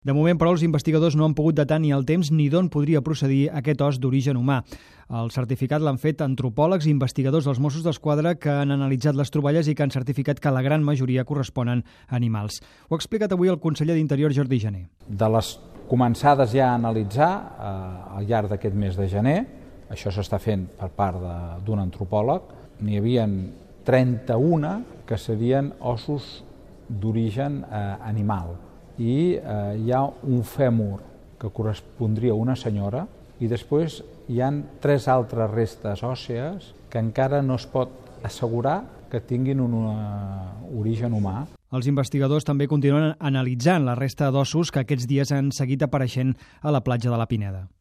De moment, però, els investigadors no han pogut datar ni el temps ni d'on podria procedir aquest os d'origen humà. El certificat l'han fet antropòlegs i investigadors dels Mossos d'Esquadra que han analitzat les troballes i que han certificat que la gran majoria corresponen a animals. Ho ha explicat avui el conseller d'Interior, Jordi Jané. De les començades ja a analitzar al llarg d'aquest mes de gener, això s'està fent per part d'un antropòleg, n'hi havia 31 que serien ossos d'origen animal. I hi ha un fèmur que correspondria a una senyora i després hi ha 3 altres restes òssees que encara no es pot assegurar que tinguin un origen humà. Els investigadors també continuen analitzant la resta d'ossos que aquests dies han seguit apareixent a la platja de la Pineda.